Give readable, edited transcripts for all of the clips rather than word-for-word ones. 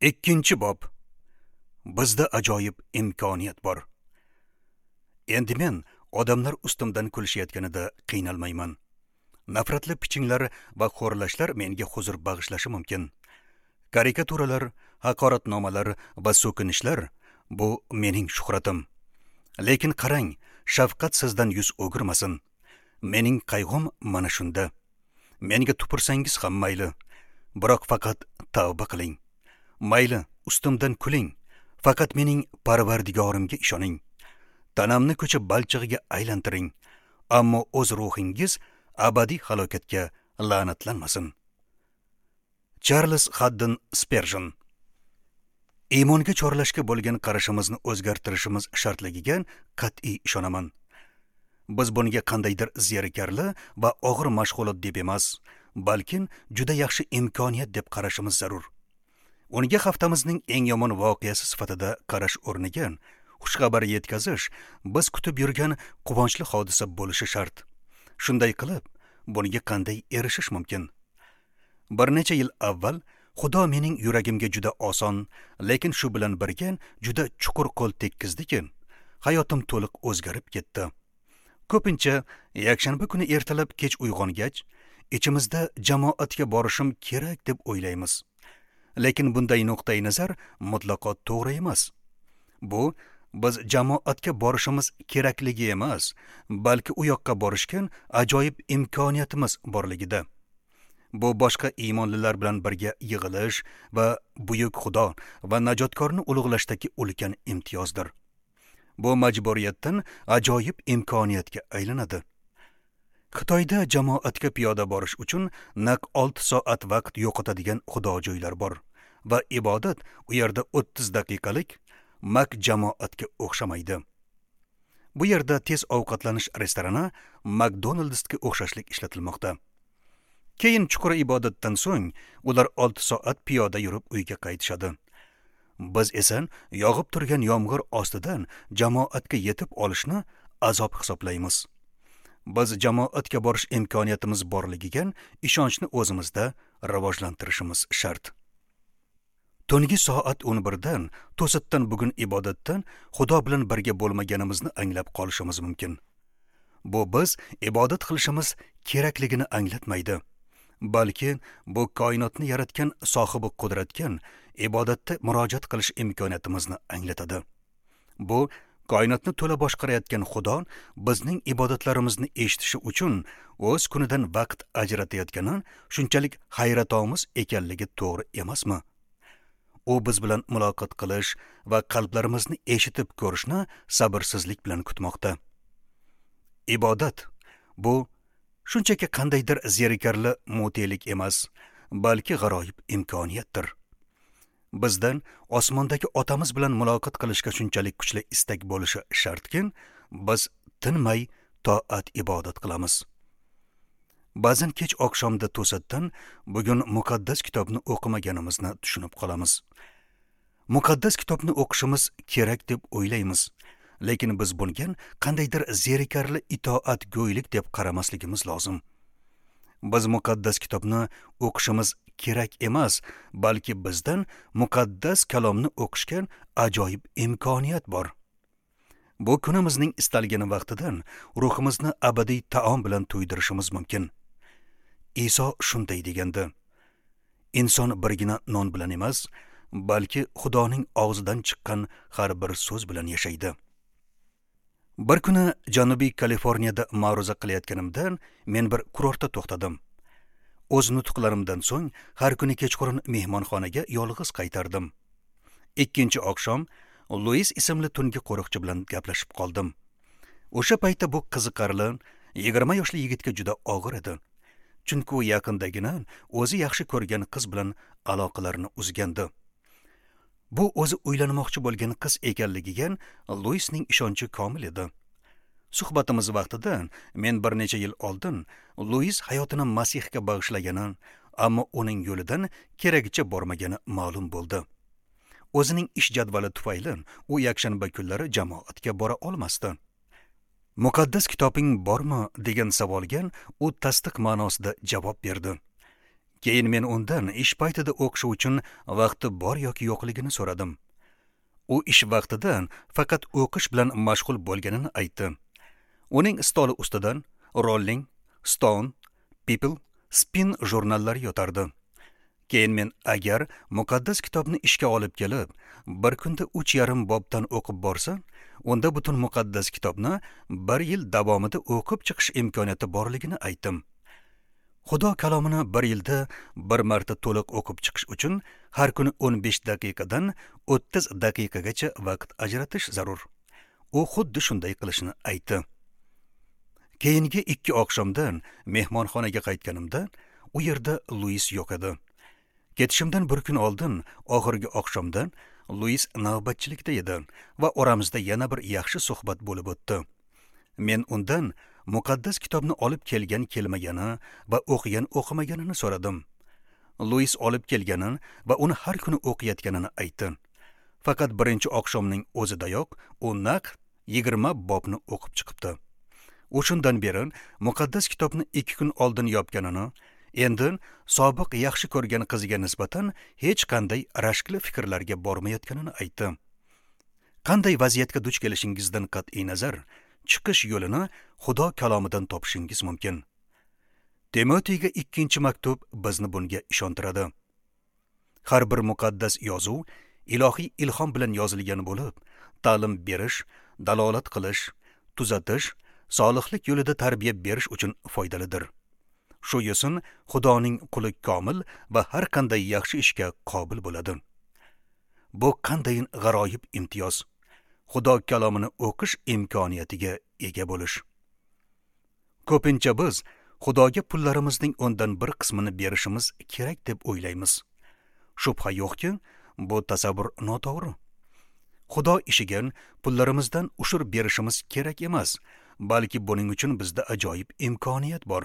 Ikkinchi bob. Bizda ajoyib imkoniyat bor. Endi men odamlar ustimdan kulishayotganida qiynalmayman. Nafratli pichinglar va xo'rlashlar menga huzur bag'ishlashi mumkin. Karikaturalar, haqoratnomalar va so'kinishlar bu mening shuhratim. Lekin qarang, shafqat sizdan yuz o'girmasin. Mening qayg'um mana shunda. Menga tupursangiz ham mayli, biroq faqat tavba qiling. Mayli, ustimdan kuling, faqat mening Parvardigorimga ishoning. Tanamni ko'cha balchig'iga aylantiring, ammo o'z ruhingiz abadiy halokatga la'natlanmasin. Charles Haddon Sperjon. Iymonga chorlashga bo'lgan qarashimizni o'zgartirishimiz shartligiga qat'iy ishonaman. Biz bunga qandaydir zerikarli va og'ir mashg'ulot deb emas, balkim juda yaxshi imkoniyat deb qarashimiz zarur. Unga haftamizning eng yomon voqeasi sifatida qarash o'rniga xushxabar yetkazish biz kutib yurgan quvonchli hodisa bo'lishi shart. Shunday qilib, bunga qanday erishish mumkin? Bir necha yil avval Xudo mening yuragimga juda oson, lekin shu bilan birga juda chuqur qo'l tekkizdi-ki, hayotim to'liq o'zgarib ketdi. Ko'pincha yakshanba kuni ertalab kech uyg'ongach, ichimizda jamoatga borishim kerak deb o'ylaymiz. Lekin bunday nuqtai nazar mutlaqo to'g'ri emas. Bu biz jamoatga borishimiz kerakligi emas, balki u yoqqa borishga ajoyib imkoniyatimiz borligida. Bu boshqa iymonlilar bilan birga yig'ilish va buyuk Xudo va najotkorni ulug'lashdagi ulkan imtiyozdir. Bu majburiyatdan ajoyib imkoniyatga aylanadi. Xitoyda jamoatga piyoda borish uchun naq 6 soat vaqt yo'qotadigan xudojo'ylar bor va ibodat u yerda 30 daqiqalik mak jamoatga o'xshamaydi. Bu yerda tez ovqatlanish restorani McDonald'sga o'xshashlik ishlatilmoqda. Keyin chuqur ibodatdan so'ng ular 6 soat piyoda yurib uyga qaytishadi. Biz esa yog'ib turgan yomg'ir ostidan jamoatga yetib olishni azob hisoblaymiz. Biz jamoatga borish imkoniyatimiz borligiga ishonchni o'zimizda rivojlantirishimiz shart. Tungi soat 11dan to'satdan bugun ibodatdan Xudo bilan birga bo'lmaganimizni anglab qolishimiz mumkin. Bu biz ibodat qilishimiz kerakligini anglatmaydi. Balki bu koinotni yaratgan sohibi qudratga ibodatda murojaat qilish imkoniyatimizni anglatadi. Bu koinotni to'la boshqarayotgan Xudo bizning ibodatlarimizni eshitishi uchun o'z kunidan vaqt ajratayotgani shunchalik hayratomuz ekanligi to'g'ri emasmi? U biz bilan muloqot qilish va qalblarimizni eshitib ko'rishni sabrsizlik bilan kutmoqda. Ibodat bu shunchaki qandaydir zerikarli mutelik emas, balki g'aroyib imkoniyatdir. Bizdan osmondagi otamiz bilan muloqot qilishga shunchalik kuchli istak bo'lishi shartki, biz tinmay toat ibodat qilamiz. Ba'zan kech oqshomda to'satdan bugun muqaddas kitobni o'qimaganimizni tushunib qolamiz. Muqaddas kitobni o'qishimiz kerak deb o'ylaymiz, lekin biz bunga qandaydir zerikarli itoatgo'ylik deb qaramasligimiz lozim. Biz muqaddas kitobni o'qishimiz kerak emas, balki bizdan muqaddas kalomni o'qishga ajoyib imkoniyat bor. Bu kunimizning istalgan vaqtidan ruhimizni abadiy taom bilan to'ydirishimiz mumkin. Iso shunday degandi: Inson birgina non bilan emas, balki Xudoning og'zidan chiqqan har bir so'z bilan yashaydi. Bir kuni Janubiy Kaliforniyada ma'ruza qilayotganimda men bir kurortda to'xtadim. O'z nutqlarimdan so'ng har kuni kechqurun mehmonxonaga yolg'iz qaytardim. Ikkinchi oqshom Luis ismli tungi qo'riqchi bilan gaplashib qoldim. O'sha paytda bu qiziqarli 20 yoshli yigitga juda og'ir edi. Chunki u yaqindagina o'zi yaxshi ko'rgan qiz bilan aloqalarini uzgandi. Bu o'zi uylanmoqchi bo'lgan qiz ekanligiga Luisning ishonchi komil edi. Suhbatimiz vaqtida men bir necha yil oldin Luis hayotini Masihga bag'ishlagani, ammo uning yo'lidan keragicha bormagani ma'lum bo'ldi. O'zining ish jadvali tufayli u yakshanba kunlari jamoatga bora olmasdi. Muqaddas kitobing bormi degan savolga u tasdiq ma'nosida javob berdi. Keyin men undan ish paytida o'qishi uchun vaqti bor yoki yo'qligini so'radim. U ish vaqtida faqat o'qish bilan mashg'ul bo'lganini aytdi. Uning stoli ustidan Rolling Stone, People, Spin jurnallari yotardi. Keyin men agar muqaddas kitobni ishga olib kelib, bir kunda 3,5 bobdan o'qib borsa, unda butun muqaddas kitobni bir yil davomida o'qib chiqish imkoniyati borligini aytdim. Xudo kalomini bir yilda bir marta to'liq o'qib chiqish uchun har kuni 15 daqiqadan 30 daqiqagacha vaqt ajratish zarur. U xuddi shunday qilishini aytdi. Keyingi 2 oqshomdan mehmonxonaga qaytganimda u yerda Luis yo'q edi. Ketishimdan bir kun oldin oxirgi oqshomda Luis navbatchilikda edi va oramizda yana bir yaxshi suhbat bo'lib o'tdi. Men undan muqaddas kitobni olib kelgan kelmagani va o'qigan o'qimaganini so'radim. Luis olib kelganini va uni har kuni o'qiyotganini aytdi. Faqat birinchi oqshomning o'zidayoq u naq 20 bobni o'qib chiqibdi. U shundan beri muqaddas kitobni 2 kun oldin yopganini, endi sobiq yaxshi ko'rgan qiziga nisbatan hech qanday rashkli fikrlarga bormayotganini aytdi. Qanday vaziyatga duch kelishingizdan qat'iy nazar, chiqish yo'lini Xudo kalomidan topishingiz mumkin. Timotiyga 2-maktub bizni bunga ishontiradi. Har bir muqaddas yozuv ilohiy ilhom bilan yozilgan bo'lib, ta'lim berish, dalolat qilish, tuzatish, solihlik yo'lida tarbiya berish uchun foydalidir. Shu yo'sin Xudoning quli komil va har qanday yaxshi ishga qobil bo'ladi. Bu qanday g'aroyib imtiyoz! Xudo kalomini o'qish imkoniyatiga ega bo'lish. Ko'pincha biz Xudoga pullarimizning 1/10 qismini berishimiz kerak deb o'ylaymiz. Shubha yo'qki, bu tasavvur noto'g'ri. Xudo ishiga pullarimizdan ushur berishimiz kerak emas, balki buning uchun bizda ajoyib imkoniyat bor.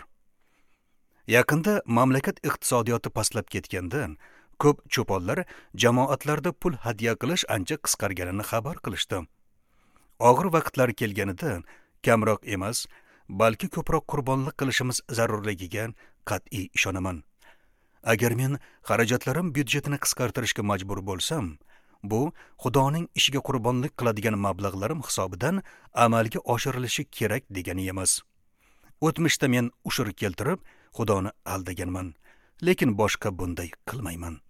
Yaqinda mamlakat iqtisodiyoti pastlab ketganda, ko'p cho'ponlar jamoatlarda pul hadya qilish ancha qisqarganini xabar qilishdi. Og'ir vaqtlar kelganida kamroq emas, balki ko'proq qurbonlik qilishimiz zarurligiga qat'iy ishonaman. Agar men xarajatlarim byudjetini qisqartirishga majbur bo'lsam, bu Xudoning ishiga qurbonlik qiladigan mablag'larim hisobidan amalga oshirilishi kerak degani emas. O'tmishda men ushur keltirib, Xudoni aldaganman, lekin boshqa bunday qilmayman.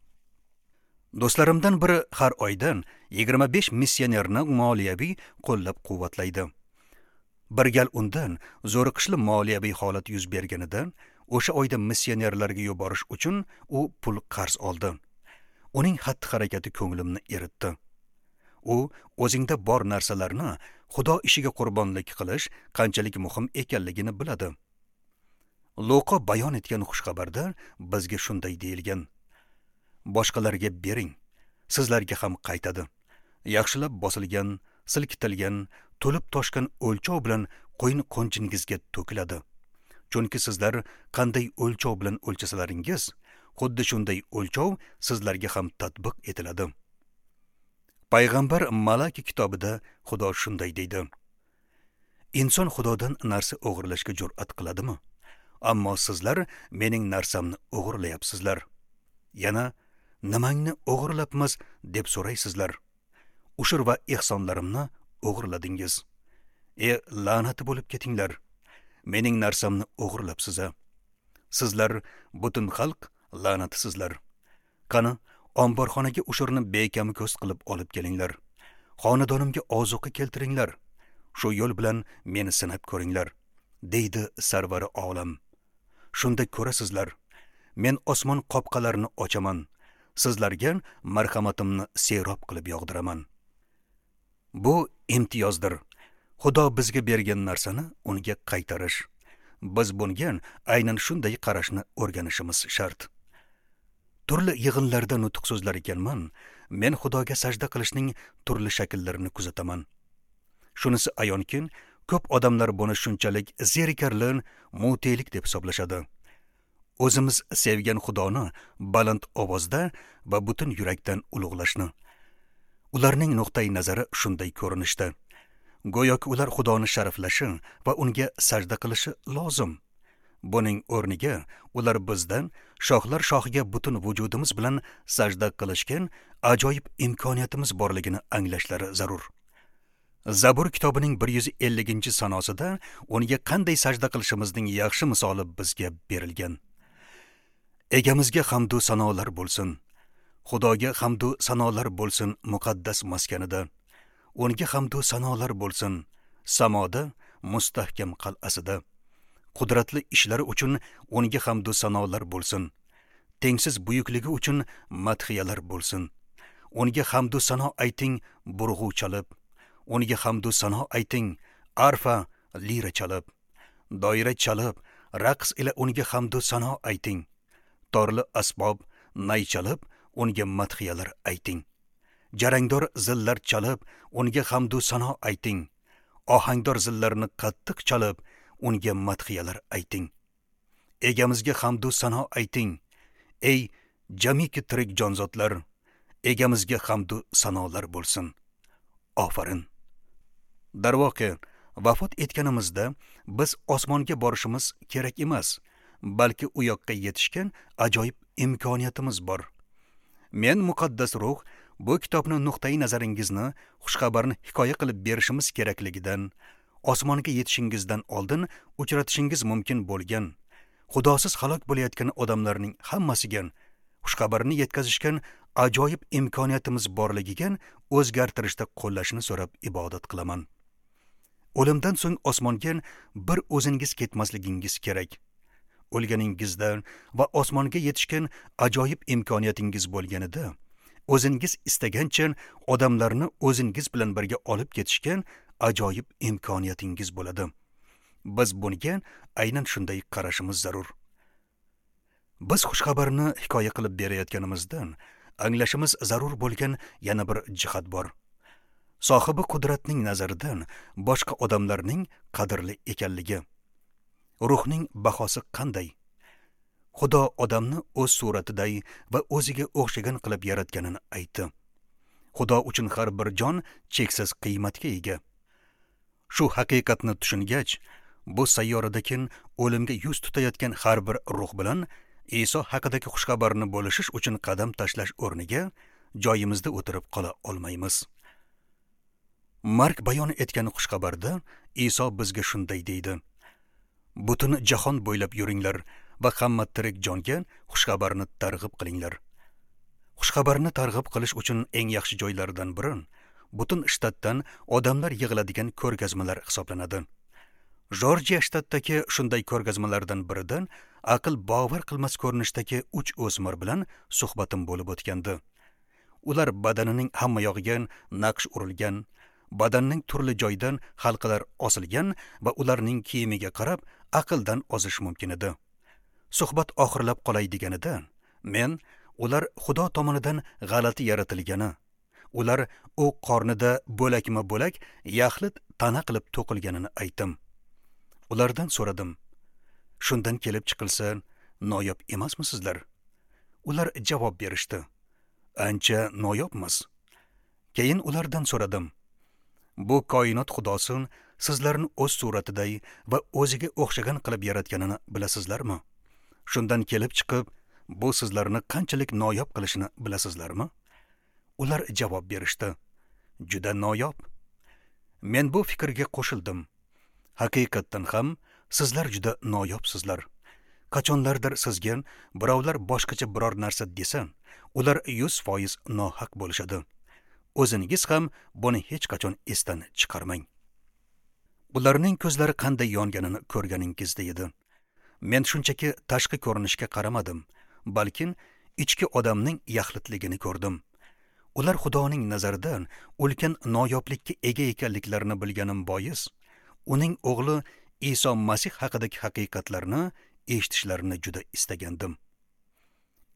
Do'stlarimdan biri har oydan 25 missionerni moliyaviy qo'llab-quvvatlaydi. Bir gal undan zo'riqishli moliyaviy holat yuz berganida, o'sha oyda missionerlarga yuborish uchun u pul qarz oldi. Uning xatti-harakati ko'nglimni eritdi. U o'zingda bor narsalarni Xudo ishiga qurbonlik qilish qanchalik muhim ekanligini biladi. Luqa bayon etgan xushxabarda bizga shunday deyilgan: boshqalarga bering, sizlarga ham qaytadi. Yaxshilab bosilgan, silkitilgan, to'lib toshgan o'lchov bilan qo'yin qo'nchingizga to'kiladi. Chunki sizlar qanday o'lchov bilan o'lchasalaringiz, xuddi shunday o'lchov sizlarga ham tatbiq etiladi. Payg'ambar Malaki kitobida Xudo shunday deydi: inson Xudodan narsa o'g'irlashga jur'at qiladimi? Ammo sizlar mening narsamni o'g'irlayapsizlar. Yana nimangni o'g'irlabmiz deb so'raysizlar. Ushur va ehsonlarimni o'g'irladingiz. La'nati bo'lib ketinglar. Mening narsamni o'g'irlabsiz. Sizlar butun xalq la'natisizlar. Qani, omborxonaga ushurni bekami ko'z qilib olib kelinglar. Xonadonimga ozuqa keltiringlar. Shu yo'l bilan meni sinab ko'ringlar, deydi sarvari olam. Shunda ko'rasizlar, men osmon qopqalarini ochaman, sizlarga marhamatimni serob qilib yog'diraman. Bu imtiyozdir. Xudo bizga bergan narsani unga qaytarish. Biz bunga aynan shunday qarashni o'rganishimiz shart. Turli yig'inlarda nutq so'zlar ekanman, men Xudoga sajda qilishning turli shakllarini kuzataman. Shunisi ayonki, ko'p odamlar buni shunchalik zerikarli mutelik deb hisoblashadi. O'zimiz sevgan Xudoni baland ovozda va butun yurakdan ulug'lashni. Ularning nuqtai nazari shunday ko'rinishda. Go'yoki ular Xudoni sharaflashi va unga sajda qilishi lozim. Buning o'rniga ular bizdan shohlar shohiga butun vujudimiz bilan sajda qilishgan ajoyib imkoniyatimiz borligini anglashlari zarur. Zabur kitobining 150-sanosida unga qanday sajda qilishimizning yaxshi misoli bizga berilgan. Egamizga hamd va sanolar bo'lsin. Xudoga hamd va sanolar bo'lsin muqaddas maskanida. Unga hamd va sanolar bo'lsin samoda, mustahkam qal'asida. Qudratli ishlari uchun unga hamd va sanolar bo'lsin. Tengsiz buyukligi uchun madhiyalar bo'lsin. Unga hamd va sano ayting burg'u chalib. Unga hamd va sano ayting arfa, lira chalib. Doira chalib, raqs ila unga hamd va sano ayting. Torli asbob, nay chalib, unga madhiyalar ayting. Jarangdor zillar chalib, unga hamd va sano ayting. Ohangdor zillarni qattiq chalib, unga madhiyalar ayting. Egamizga hamd va sano ayting. Ey jamiki tirik jonzotlar, egamizga hamd va sanolar bo'lsin. Ofarin. Darvoqe, vafot etganimizda biz osmonga borishimiz kerak emas, balki u yoqqa yetishgan ajoyib imkoniyatimiz bor. Men muqaddas ruh bu kitobni nuqtai nazaringizni xushxabarni hikoya qilib berishimiz kerakligidan, osmonga yetishingizdan oldin uchratishingiz mumkin bo'lgan, Xudosiz halok bo'layotgan odamlarning hammasiga xushxabarni yetkazishgan ajoyib imkoniyatimiz borligiga o'zgartirishda qo'llashini so'rab ibodat qilaman. O'limdan so'ng osmonga bir o'zingiz ketmasligingiz kerak. O'lganingizda va osmonga yetishgan ajoyib imkoniyatingiz bo'lganida, o'zingiz istagancha odamlarni o'zingiz bilan birga olib ketishgan ajoyib imkoniyatingiz bo'ladi. Biz bunga aynan shunday qarashimiz zarur. Biz xushxabarni hikoya qilib berayotganimizdan anglashimiz zarur bo'lgan yana bir jihat bor. Sohibi qudratning nazaridan boshqa odamlarning qadrli ekanligi. Ruhning bahosi qanday? Xudo odamni o'z suratiday va o'ziga o'xshagan qilib yaratganini aytdi. Xudo uchun har bir jon cheksiz qiymatga ega. Shu haqiqatni tushungach, bu sayyoradagi o'limga yuz tutayotgan har bir ruh bilan Iso haqidagi xushxabarni bo'lishish uchun qadam tashlash o'rniga joyimizda o'tirib qola olmaymiz. Mark bayon etgan xushxabarda Iso bizga shunday deydi: Butun jahon bo'ylab yuringlar va hamma tirik jonga xushxabarni targ'ib qilinglar. Xushxabarni targ'ib qilish uchun eng yaxshi joylardan biri butun shtatdan odamlar yig'iladigan ko'rgazmalar hisoblanadi. Jorjiya shtatidagi shunday ko'rgazmalardan biridan aql bovar qilmas ko'rinishdagi 3 o'smir bilan suhbatim bo'lib o'tgandi. Ular badanining hamma yog'iga naqsh urilgan, badanning turli joyidan halqalar osilgan va ularning kiyimiga qarab aqldan ozish mumkin edi. Suhbat oxirlab qolay deganida, men ular Xudo tomonidan g'alati yaratilgani, ular u qornida bo'lakma-bo'lak yaxlit tana qilib to'qilganini aytdim. Ulardan so'radim: Shundan kelib chiqilsa, noyob emasmisizlar? Ular javob berishdi: Ancha noyobmiz. Keyin ulardan so'radim: Bu koinot Xudosi sizlarni o'z suratiday va o'ziga o'xshagan qilib yaratganini bilasizlarmi? Shundan kelib chiqib, bu sizlarni qanchalik noyob qilishini bilasizlarmi? Ular javob berishdi: Juda noyob. Men bu fikrga qo'shildim. Haqiqatdan ham sizlar juda noyobsizlar. Qachonlardir sizga birovlar boshqacha biror narsa desa, ular 100% nohaq bo'lishadi. O'zingiz ham buni hech qachon esdan chiqarmang. Ularning ko'zlari qanday yonganini ko'rganingizda edi. Men shunchaki tashqi ko'rinishga qaramadim, balkim ichki odamning yaxlitligini ko'rdim. Ular Xudoning nazarida ulkan noyoblikka ega ekanliklarini bilganim bois, uning o'g'li Iso Masih haqidagi haqiqatlarni eshitishlarini juda istagandim.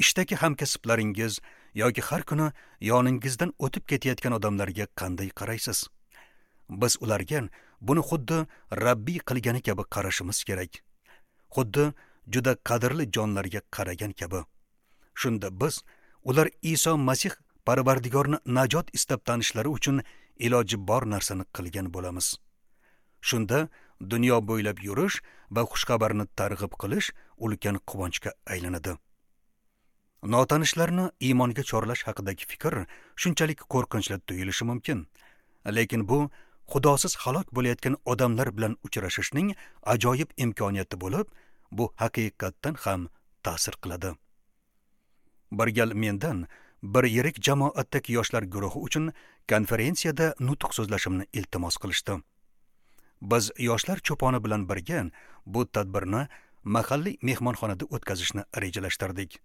Ishdagi hamkasblaringiz yoki har kuni yoningizdan o'tib ketayotgan odamlarga qanday qaraysiz? Biz ularga buni xuddi Rabbiy qilgani kabi qarashimiz kerak. Xuddi juda qadrli jonlarga qaragan kabi. Shunda biz ular Iso Masih Parvardigorni najot istab tanishlari uchun iloji bor narsani qilgan bo'lamiz. Shunda dunyo bo'ylab yurish va xushxabarni targ'ib qilish ulkan quvonchga aylanadi. Notanishlarni iymonga chorlash haqidagi fikr shunchalik qo'rqinchli tuyulishi mumkin. Lekin bu Xudosiz halok bo'layotgan odamlar bilan uchrashishning ajoyib imkoniyati bo'lib, bu haqiqatdan ham ta'sir qiladi. Bir gal mendan bir yirik jamoatdagi yoshlar guruhi uchun konferensiyada nutq so'zlashimni iltimos qilishdi. Biz yoshlar cho'poni bilan birga bu tadbirni mahalliy mehmonxonada o'tkazishni rejalashtirdik.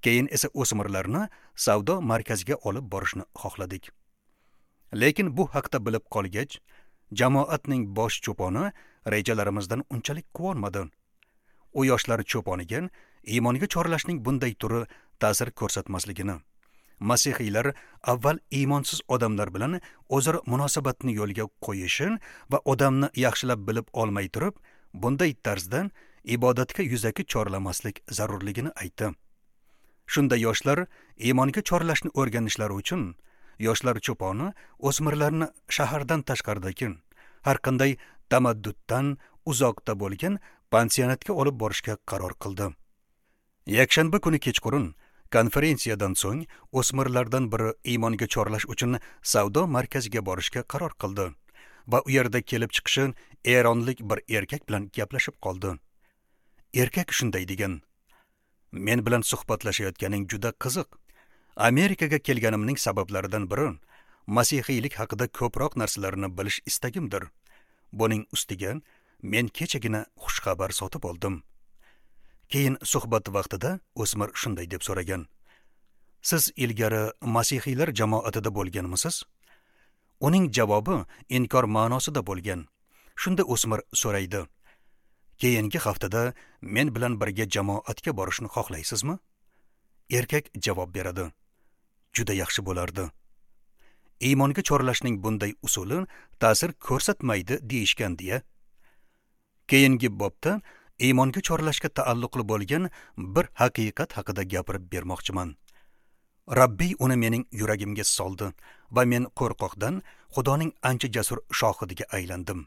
Keyin esa o'smirlarni savdo markaziga olib borishni xohladik. Lekin bu haqda bilib qolgach, jamoatning bosh cho'poni rejalarimizdan unchalik quvonmadi. U yoshlar cho'poniga iymonga chorlashning bunday turi ta'sir ko'rsatmasligini, masihiylar avval iymonsiz odamlar bilan o'zaro munosabatni yo'lga qo'yishi va odamni yaxshilab bilib olmay turib, bunday tarzda ibodatga yuzaki chorlamaslik zarurligini aytdi. Shunda yoshlar iymonga chorlashni o'rganishlari uchun yoshlar cho'poni o'smirlarni shahardan tashqaridagi har qanday tamadduddan uzoqda bo'lgan pansionatga olib borishga qaror qildi. Yakshanba kuni kechqurun konferensiyadan so'ng o'smirlardan biri iymonga chorlash uchun savdo markaziga borishga qaror qildi va u yerda kelib chiqishi eronlik bir erkak bilan gaplashib qoldi. Erkak shunday degan: "Men bilan suhbatlashayotganing juda qiziq. Amerikaga kelganimning sabablaridan biri masihiylik haqida ko'proq narsalarni bilish istagimdir. Buning ustiga men kechagina xushxabar sotib oldim." Keyin suhbat vaqtida o'smir shunday deb so'ragan: "Siz ilgari masihiylar jamoatida bo'lganmisiz?" Uning javobi inkor ma'nosida bo'lgan. Shunda o'smir so'raydi: "Keyingi haftada men bilan birga jamoatga borishni xohlaysizmi?" Erkak javob beradi: "Juda yaxshi bo'lardi." Iymonga chorlashning bunday usuli ta'sir ko'rsatmaydi deyishgan deya. Keyingi bobda iymonga chorlashga taalluqli bo'lgan bir haqiqat haqida gapirib bermoqchiman. Rabbiy uni mening yuragimga soldi va men qo'rqoqdan Xudoning ancha jasur shohidiga aylandim.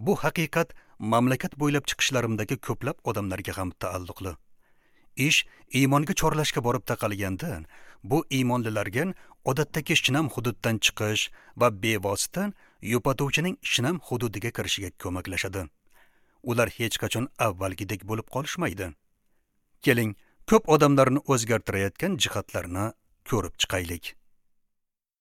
Bu haqiqat mamlakat bo'ylab chiqishlarimdagi ko'plab odamlarga ham taalluqli. Ish iymonga chorlashga borib taqalganda, bu iymonlilarga odatdagi shinam hududdan chiqish va bevosita yupatuvchining shinam hududiga kirishiga ko'maklashadi. Ular hech qachon avvalgidek bo'lib qolishmaydi. Keling, ko'p odamlarni o'zgartirayotgan jihatlarni ko'rib chiqaylik.